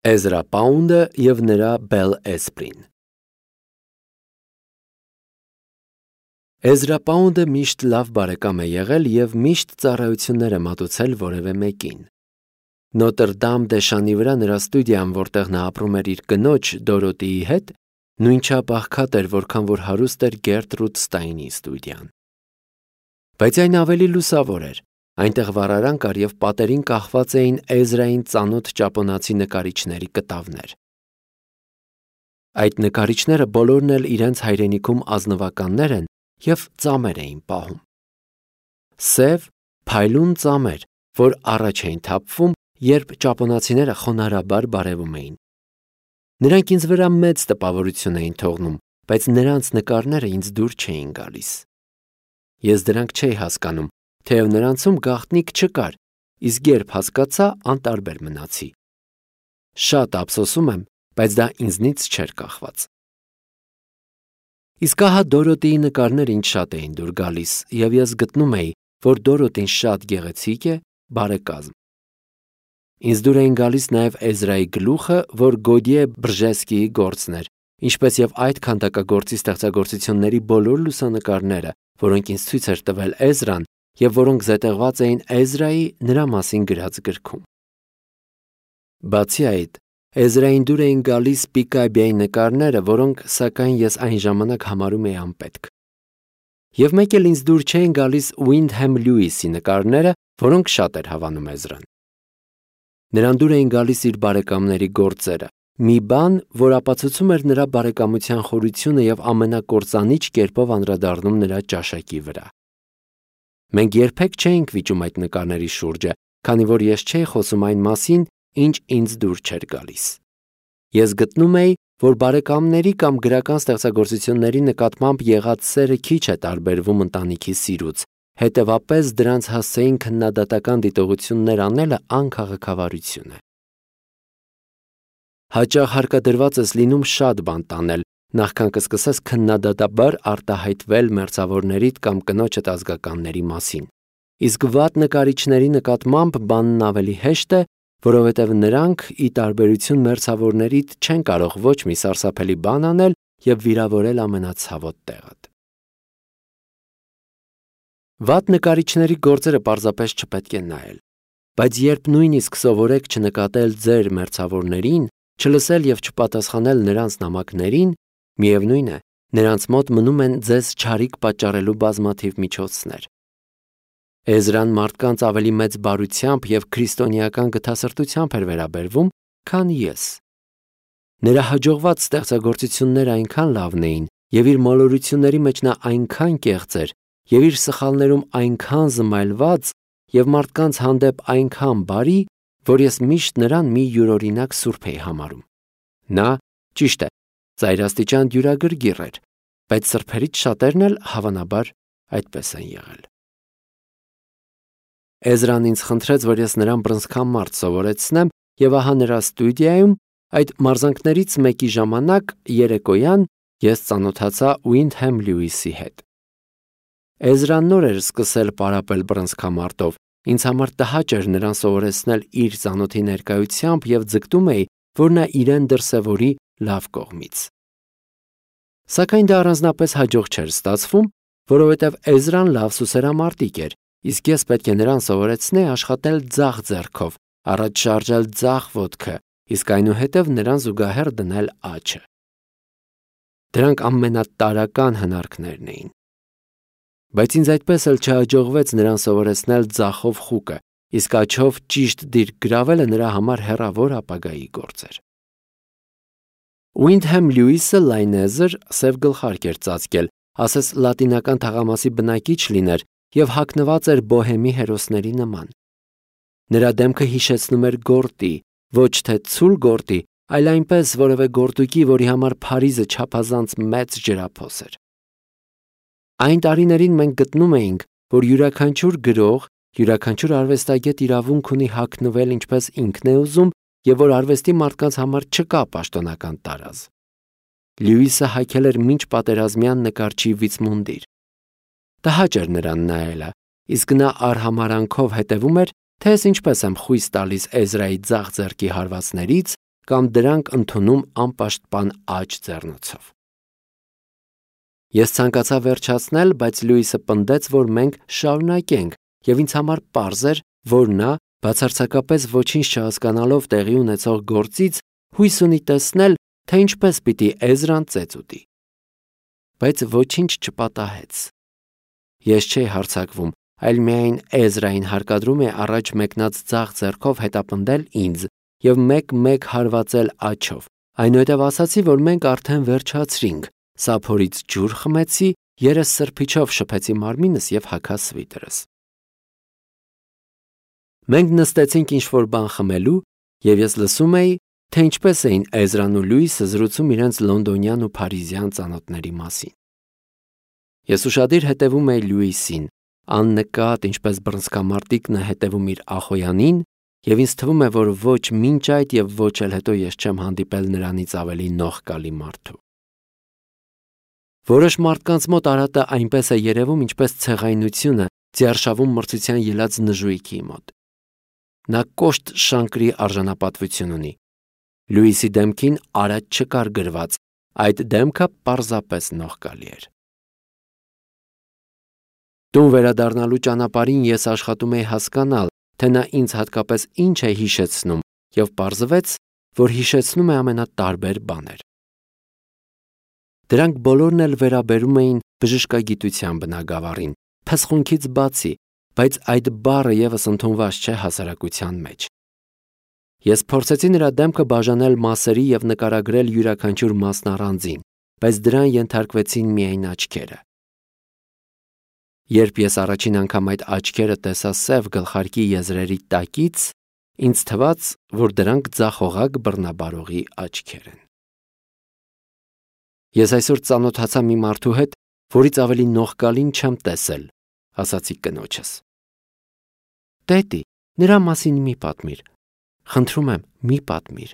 Էզրա Պաունդը և նրա Բել Էսպրին։ Էզրա Պաունդը միշտ լավ բարեկամ է եղել և միշտ ծառայություններ է մատուցել որևէ մեկին։ Նոտրդամ դե Շանի վրա նրա ստուդիան, որտեղ նա ապրում էր իր կնոջ Դորոթիի հետ, նույնչափ աղքատ էր, որքան որ հարուստ էր Գերտրուդ Ստայնի ստուդիան։ Բայց այն ավելի լուսավոր էր։ Այնտեղ վառարան կար և պատերին կախված էին Էզրային ծանոթ ճապոնացի նկարիչների կտավներ։ Այդ նկարիչները բոլորն էլ իրենց հայրենիքում ազնվականներ են և ծամեր էին պահում։ Սև, փայլուն ծամեր, որ առաջ էին թափվում, երբ ճապոնացիները խոնարհաբար բարևում էին։ Նրանք ինձ վրա մեծ տպավորություն էին թողնում, բայց նրանց նկարները ինձ դուր չէին գալիս։ Ես դրանք չէի հասկանում, թեև նրանցում գաղտնիք չկար, իսկ երբ հասկացա, անտարբեր մնացի։ Շատ ափսոսում եմ, բայց դա ինձնից չէր կախված։ Իսկ ահա Դորոթիի նկարները ինձ շատ էին դուր գալիս, և ես գտնում էի, որ Դորոթին շատ գեղեցիկ է, բարեկազմ։ Ինձ դուր էին գալիս նաև Էզրայի գլուխը, որ Գոդիե Բրժեսկիի գործն էր, ինչպես և այդ քանդակագործի ստեղծագործությունների բոլոր լուսանկարները, որոնք ինձ ցույց էր տվել Էզրան և որոնք զետեղված էին Էզրայի նրա մասին գրած գրքում։ Բացի այդ, Էզրային դուր էին գալիս Պիկաբիայի նկարները, որոնք, սակայն, ես այն ժամանակ համարում էի անպետք։ Եվ մեկ էլ ինձ դուր չէին գալիս Ուինդհեմ Լյուիսի նկարները, որոնք շատ էր հավանում Էզրան։ Նրան դուր էին գալիս իր բարեկամների գործերը, մի բան, որ ապացուցում էր նրա բարեկամության խորությունը և ամենակործանիչ կերպով անդրադառնում նրա ճաշակի վրա։ Մենք երբեք չէինք վիճում այդ նկարների շուրջը, քանի որ ես չէի խոսում այն մասին, ինչ ինձ դուր չէր գալիս։ Ես գտնում էի, որ բարեկամների կամ գրական ստեղծագործությունների նկատմամբ եղած սերը քիչ է տարբերվում ընտանիքի սիրուց, հետևաբար դրանց հասցեին քննադատական դիտողություններ անելը անքաղաքավարություն է։ Հաճախ հարկադրված ես լինում շատ բան տանել, նախքան կսկսես քննադատաբար արտահայտվել մերձավորներիդ կամ կնոջդ ազգականների մասին։ Իսկ վատ նկարիչների նկատմամբ բանն ավելի հեշտ է, որովհետև նրանք, ի տարբերություն մերձավորներիդ, չեն կարող ոչ մի սարսափելի բան անել և վիրավորել ամենացավոտ տեղդ։ Վատ նկարիչների գործերը պարզապես չպետք է նայել, բայց երբ նույնիսկ սովորեք չնկատել ձեր մերձավորներին, չլսել և չպատասխանել նրանց նամակներին, միևնույն է, նրանց մոտ մնում են ձեզ չարիք պատճառելու բազմաթիվ միջոցներ։ Էզրան մարդկանց ավելի մեծ բարությամբ և քրիստոնեական գթասրտությամբ էր վերաբերվում, քան ես։ Նրա հաջողված ստեղծագործությունները այնքան լավն էին, և իր մոլորությունների մեջ նա այնքան կեղծ էր, և իր սխալներում այնքան զմայլված և մարդկանց հանդեպ այնքան բարի, որ ես միշտ նրան մի յուրօրինակ սուրբ էի համարում։ Նա, ճիշտ է, ծայրաստիճան դյուրագրգիռ էր, բայց սրբերից շատերն էլ, հավանաբար, այդպես են եղել։ Էզրան ինձ խնդրեց, որ ես նրան բռնցքամարտ սովորեցնեմ, և ահա նրա ստուդիայում, այդ մարզանքներից մեկի ժամանակ, երեկոյան, ես ծանոթացա Ուինդհեմ Լյուիսի հետ։ Էզրան նոր էր սկսել պարապել բռնցքամարտով, ինձ համար տհաճ էր նրան սովորեցնել իր ծանոթի ներկայությամբ և ձգտում էի, որ նա իրեն դրսևորի լավ կողմից։ Սակայն դա առանձնապես հաջող չէր ստացվում, որովհետև Էզրան լավ սուսերամարտիկ էր, իսկ ես պետք է նրան սովորեցնեի աշխատել ձախ ձեռքով, առաջ շարժել ձախ ոտքը, իսկ այնուհետև նրան զուգահեռ դնել աջը։ Դրանք ամենատարրական հնարքներն էին։ Բայց ինձ այդպես էլ չհաջողվեց նրան սովորեցնել ձախով խուկը, իսկ աջով ճիշտ դիրք գրավելը նրա համար հեռավոր ապագայի գործ էր։ Ուինդհեմ Լյուիսը լայնեզր, սև գլխարկ էր ծածկել, ասես լատինական թաղամասի բնակիչ լիներ և հագնված էր բոհեմի հերոսների նման։ Նրա դեմքը հիշեցնում էր գորտի, ոչ թե ցուլ գորտի, այլ այնպես որևէ գորտուկի, որի համար Փարիզը չափազանց մեծ ջրափոս էր։ Այն տարիներին մենք գտնում էինք, որ յուրաքանչյուր գրող, յուրաքանչյուր արվեստագետ իրավունք ունի հագնվել ինչպես ինքն է ուզում և որ արվեստի մարդկանց համար չկա պաշտոնական տարազ։ Լյուիսը հագել էր մինչ պատերազմյան նկարչի վիցմունդիր։ Տհաճ էր նրան նայելը, իսկ նա արհամարանքով հետևում էր, թե ես ինչպես եմ խույս տալիս Էզրայի ձախ ձեռքի հարվածներից կամ դրանք ընդունում անպաշտպան աջ ձեռնոցով։ Ես ցանկացա վերջացնել, բայց Լյուիսը պնդեց, որ մենք շարունակենք, եւ ինձ համար պարզ էր, որ նա, բացարձակապես ոչինչ չհասկանալով տեղի ունեցող գործից, հույս ունի տեսնել, թե ինչպես պիտի Էզրան ծեծ ուտի։ Բայց ոչինչ չպատահեց։ Ես չէի հարձակվում, այլ միայն Էզրային հարկադրում է առաջ մեկնած ձախ ձեռքով հետապնդել ինձ եւ մեկ-մեկ հարվածել աջով։ Այնուհետև ասացի, որ մենք արդեն վերջացրինք, սափորից ջուր խմեցի, երես սրբիչով շփեցի մարմինս եւ հագա սվիտրս։ Մենք նստեցինք ինչ-որ բան խմելու, եւ ես լսում էի, թե ինչպես էին Էզրան ու Լյուիսը զրուցում իրենց լոնդոնյան ու փարիզյան ծանոթների մասին։ Ես ուշադիր հետևում էի Լյուիսին, աննկատ, ինչպես բռնցքամարտիկն է հետևում իր ախոյանին, եւ ինձ թվում է, որ ոչ մինչ այդ եւ ոչ էլ հետո ես չեմ հանդիպել նրանից ավելի նողկալի մարդու։ Որոշ մարդկանց մոտ արատը այնպես է երևում, ինչպես ցեղայնությունը ձիարշավում մրցության ելած նժույգի մոտ։ Նա կոշտ շանկրի արժանապատվություն ունի։ Լյուիսի դեմքին արատ չկար գրված, այդ դեմքը պարզապես նողկալի էր։ Տուն վերադառնալու ճանապարհին ես աշխատում էի հասկանալ, թե նա ինձ հատկապես ինչ է հիշեցնում, եւ պարզվեց, որ հիշեցնում է ամենատարբեր բաներ։ Դրանք բոլորն էլ վերաբերում էին բժշկագիտության բնագավառին, փսխունքից բացի, բայց այդ բառը եւս ընդունված չէ հասարակության մեջ։ Ես փորձեցի նրա դեմքը բաժանել մասերի եւ նկարագրել յուրաքանչյուր մասն առանձին, բայց դրան ենթարկվեցին միայն աչքերը։ Երբ ես առաջին անգամ այդ աչքերը տեսա սև գլխարկի եզրերի տակից, ինձ թվաց, որ դրանք ձախողակ բռնաբարողի աչքեր են։ Ես այսօր ծանոթացա մի մարդու հետ, որից ավելի նողկալին չեմ տեսել, ասացի կնոջս։ Տետի, նրա մասին մի պատմիր։ Խնդրում եմ, մի պատմիր։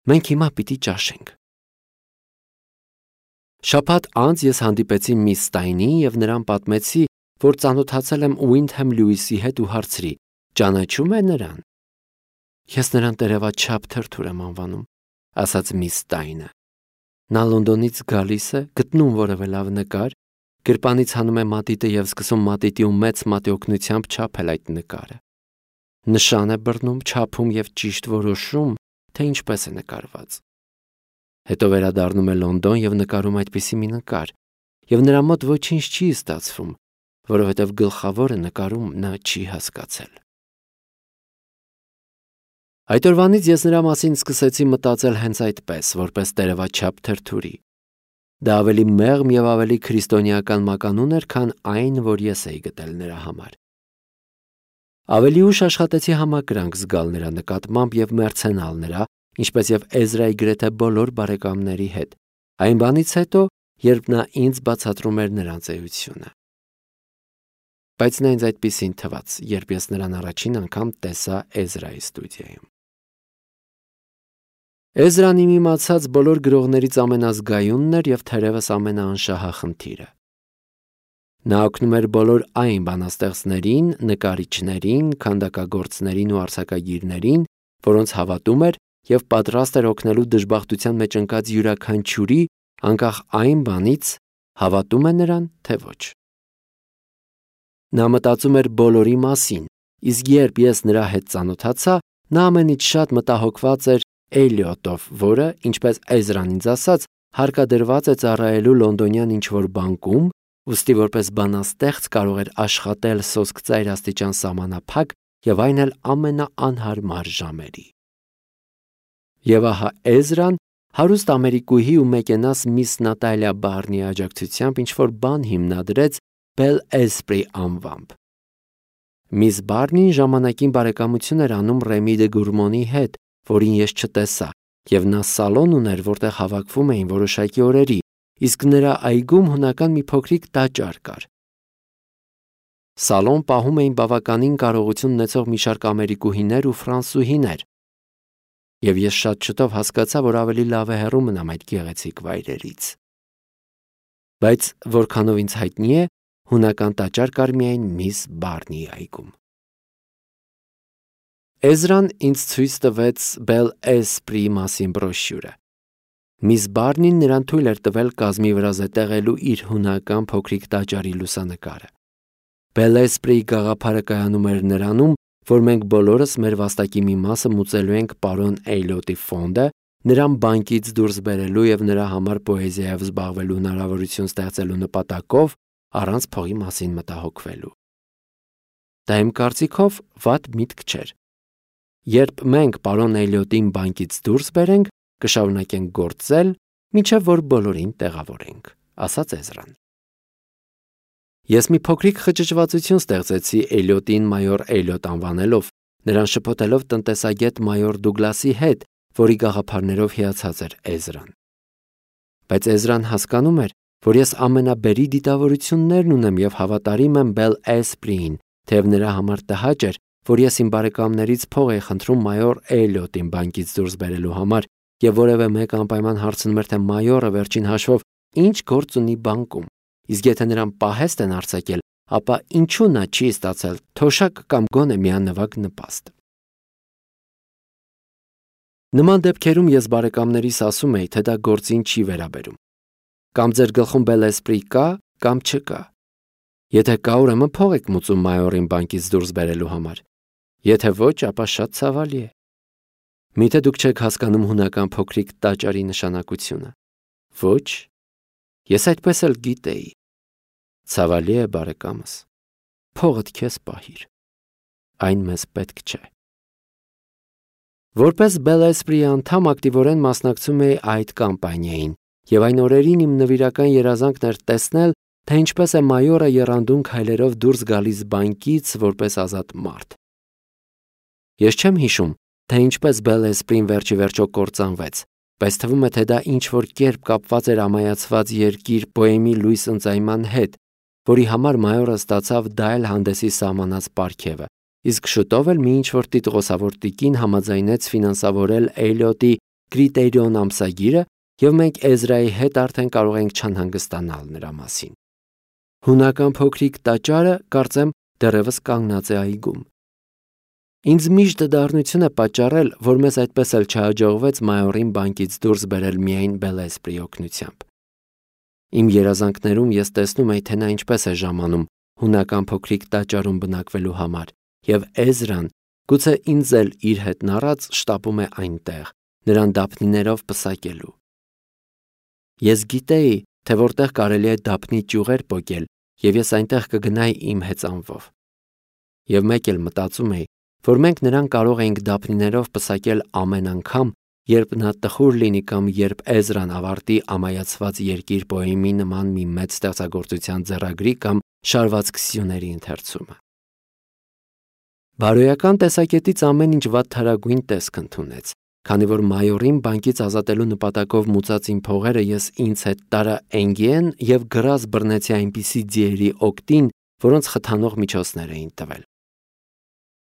Մենք հիմա պիտի ճաշենք։ Շաբաթ անց ես հանդիպեցի միս Ստայնին եւ նրան պատմեցի, որ ծանոթացել եմ Ուինդհեմ Լյուիսի հետ ու հարցրի. ճանաչում է նրան։ Ես նրան տերևաչափ թրթուր եմ անվանում, ասաց միս Ստայնը։ Նա Լոնդոնից գալիս է, գտնում որևէ լավ նկար, գրպանից հանում է մատիտը եւ սկսում մատիտի ու մեծ մատիօգնությամբ չափել այդ նկարը։ Նշան է բռնում, չափում եւ ճիշտ որոշում, թե ինչպես է նկարված։ Հետո վերադառնում է Լոնդոն եւ նկարում այդպիսի մի նկար, եւ նրա մոտ ոչինչ չի ստացվում, որովհետեւ գլխավորը նկարում նա չի հասկացել։ Այդ օրվանից ես նրա մասին սկսեցի մտածել հենց այդպես, որպես տերևաչափ թրթուրի։ Դա ավելի մեղմ եւ ավելի քրիստոնեական մականուն էր, քան այն, որ ես էի գտել նրա համար։ Ավելի ուշ աշխատեցի համակրանք զգալ նրա նկատմամբ եւ մերձենալ նրա, ինչպես եւ Էզրայի գրեթե բոլոր բարեկամների հետ, այն բանից հետո, երբ նա ինձ բացատրում էր նրանց էությունը։ Բայց նա ինձ այդպիսին թվաց, երբ ես նրան առաջին անգամ տեսա Էզրայի ստուդիայում։ Էզրան իմ իմացած բոլոր գրողներից ամենազգայունն էր եւ թերևս ամենաանշահախնդիրը։ Նա օգնում էր բոլոր այն բանաստեղծներին, նկարիչներին, քանդակագործներին ու արձակագիրներին, որոնց հավատում էր եւ պատրաստ էր օգնելու դժբախտության մեջ ընկած յուրաքանչյուրի, անկախ այն բանից, հավատում է նրան, թե ոչ։ Նա մտածում էր բոլորի մասին, իսկ երբ ես նրա հետ ծանոթացա, նա ամենից շատ մտահոգված էր Էլիոտով, որը, ինչպես Էզրան ինձ ասաց, հարկադրված է ծառայելու լոնդոնյան ինչ-որ բանկում, ուստի որպես բանաստեղծ կարող էր աշխատել սոսկծայր աստիճան սահմանափակ եւ այն էլ ամենաանհարմար ժամերի։ Եվ ահա Էզրան, հարուստ ամերիկուհի ու մեկենաս միս Նատալիա Բարնի աջակցությամբ ինչ-որ բան հիմնադրեց Bel Esprit անվամբ։ Միս Բարնին ժամանակին բարեկամություն էր անում Ռեմի դե Գուրմոնի հետ, որին ես չտեսա, եւ նա սալոն ուներ, որտեղ հավաքվում էին որոշակի օրերի, իսկ նրա այգում հունական մի փոքրիկ տաճար կար։ Սալոն պահում էին բավականին կարողություն ունեցող մի շարք ամերիկուհիներ ու ֆրանսուհիներ, եւ ես շատ շուտով հասկացա, որ ավելի լավ է հեռու մնամ այդ գեղեցիկ վայրերից։ Բայց որքանով ինձ հայտնի է, հունական տաճար կար միայն միս Բարնի այգում։ Էզրան ինձ ցույց տվեց Bel Esprit մասին բրոշյուրը։ Միս Բարնին նրան թույլ էր տվել կազմի վրա զետեղելու իր հունական փոքրիկ տաճարի լուսանկարը։ Bel Esprit գաղափարը կայանում էր նրանում, որ մենք բոլորս մեր վաստակի մի մասը մուծելու ենք պարոն Էյլոտի ֆոնդը, նրան բանկից դուրս բերելու եւ նրա համար պոեզիայով զբաղվելու հնարավորություն ստեղծելու նպատակով, առանց փողի մասին մտահոգվելու։ Դա իմ կարծիքով վատ միտք չէր։ Երբ մենք պարոն Էյլոտին բանկից դուրս բերենք, կշարունակենք գործել, մինչև որ բոլորին տեղավորենք, ասաց Էզրան։ Ես մի փոքրիկ խճճվածություն ստեղծեցի Էյլոտին մայոր Էյլոտ անվանելով, նրան շփոթելով տնտեսագետ մայոր Դուգլասի հետ, որի գաղափարներով հիացած էր Էզրան։ Բայց Էզրան հասկանում էր, որ ես ամենաբերի դիտավորություններն ունեմ եւ հավատարիմ եմ Bel Esprit-ին, թեև նրա համար տհաճ էր, որ ես իմ բարեկամներից փող էի խնդրում մայոր Էյլոտին բանկից դուրս բերելու համար, եւ որևէ մեկ անպայման հարցնում էր, թե մայորը վերջին հաշվով ինչ գործ ունի բանկում, իսկ եթե նրան պահեստ են արձակել, ապա ինչու նա չի ստացել թոշակ կամ գոնե միանվագ նպաստ։ Նման դեպքերում ես բարեկամներիս ասում էի, թե դա գործին չի վերաբերում։ Կամ ձեր գլխում Bel Esprit կա, կամ չկա։ Եթե կա, ուրեմն փող եք մուծում մայորին բանկից դուրս բերելու համար։ Եթե ոչ, ապա շատ ցավալի է։ Միթե դուք չեք հասկանում հունական փոքրիկ տաճարի նշանակությունը։ Ոչ, ես այդպես էլ գիտեի։ Ցավալի է, բարեկամս։ Փողդ քեզ պահիր։ Այն մեզ պետք չէ։ Որպես Bel Esprit-ի անդամ ակտիվորեն մասնակցում էի այդ կամպանիային, եւ այն օրերին իմ նվիրական երազանքն էր տեսնել, թե ինչպես է մայորը եռանդուն քայլերով դուրս գալիս բանկից որպես ազատ մարդ։ Ես չեմ հիշում, թե ինչպես Bel Esprit-ին վերջի վերջո կործանվեց, բայց թվում է, թե դա ինչ-որ կերպ կապված էր ամայացված երկիր պոեմի լույս ընծայման հետ, որի համար մայորը ստացավ դա էլ հանդեսի սահմանած պարգևը, իսկ շուտով էլ մի ինչ-որ տիտղոսավոր տիկին համաձայնեց ֆինանսավորել Էյլոտի Կրիտերիոն ամսագիրը, եւ մենք Էզրայի հետ արդեն կարող ենք չանհանգստանալ նրա մասին։ Հունական փոքրիկ տաճարը, կարծեմ, դեռևս կանգնած է այգում։ Ինձ միշտ դառնություն է պատճառել, որ մեզ այդպես էլ չհաջողվեց մայորին բանկից դուրս բերել միայն Bel Esprit-ի օգնությամբ։ Իմ երազանքներում ես տեսնում էի, թե նա ինչպես է ժամանում հունական փոքրիկ տաճարում բնակվելու համար, եւ Էզրան, գուցե ինձ էլ իր հետ նառած, շտապում է այնտեղ, նրան դափնիներով պսակելու։ Ես գիտեի, թե որտեղ կարելի է դափնի ճյուղեր պոկել, եւ ես այնտեղ կգնայի իմ հեծանվով։ Եվ մեկ էլ մտածում էի, որ մենք նրան կարող էինք դափնիներով պսակել ամեն անգամ, երբ նա տխուր լինի կամ երբ Էզրան ավարտի ամայացված երկիր պոեմի նման մի մեծ ստեղծագործության ձեռագրի կամ շարվածք սյուների ընթերցումը։ Բարոյական տեսակետից ամեն ինչ վատթարագույն տեսք ընդունեց, քանի որ մայորին բանկից ազատելու նպատակով մուծած իմ փողերը ես ինձ հետ տարա Էնգիեն եւ գրազ բռնեցի այնպիսի ձիերի օգտին, որոնց խթանող միջոցներ էին տվել։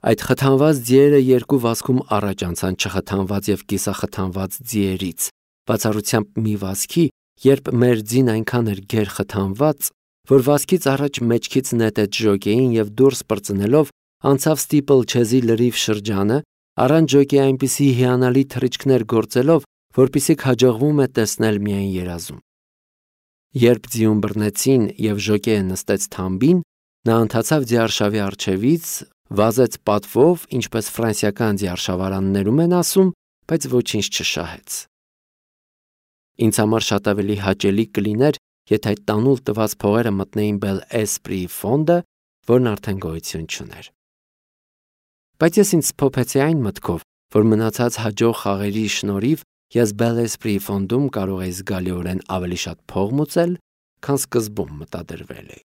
Այդ խթանված ձիերը երկու վազքում առաջ անցան չխթանված եւ կիսախթանված ձիերից, բացառությամբ մի վազքի, երբ մեր ձին այնքան էր գեր խթանված, որ վազքից առաջ մեջքից նետեց ժոկեին եւ դուրս պրծնելով անցավ Ստիպլչեզի լրիվ շրջանը, առանց ժոկեի այնպիսի հիանալի թռիչքներ գործելով, որպիսիք հաջողվում է տեսնել միայն երազում։ Երբ ձիուն բռնեցին եւ ժոկեը նստեց թամբին, նա ընթացավ ձիարշավի առջևից, վազեց պատվով, ինչպես ֆրանսիական ձիարշավարաններում են ասում, բայց ոչինչ չշահեց։ Ինձ համար շատ ավելի հաճելի կլիներ, եթե այդ տանուլ տված փողերը մտնեին Bel Esprit-ի ֆոնդը, որն արդեն գոյություն չուներ։ Բայց ես ինձ փոփեցի այն մտքով, որ մնացած հաջող խաղերի շնորհիվ ես Bel Esprit-ի ֆոնդում կարող էի զգալիորեն ավելի շատ փող մուծել, քան սկզբում մտադրվել էի։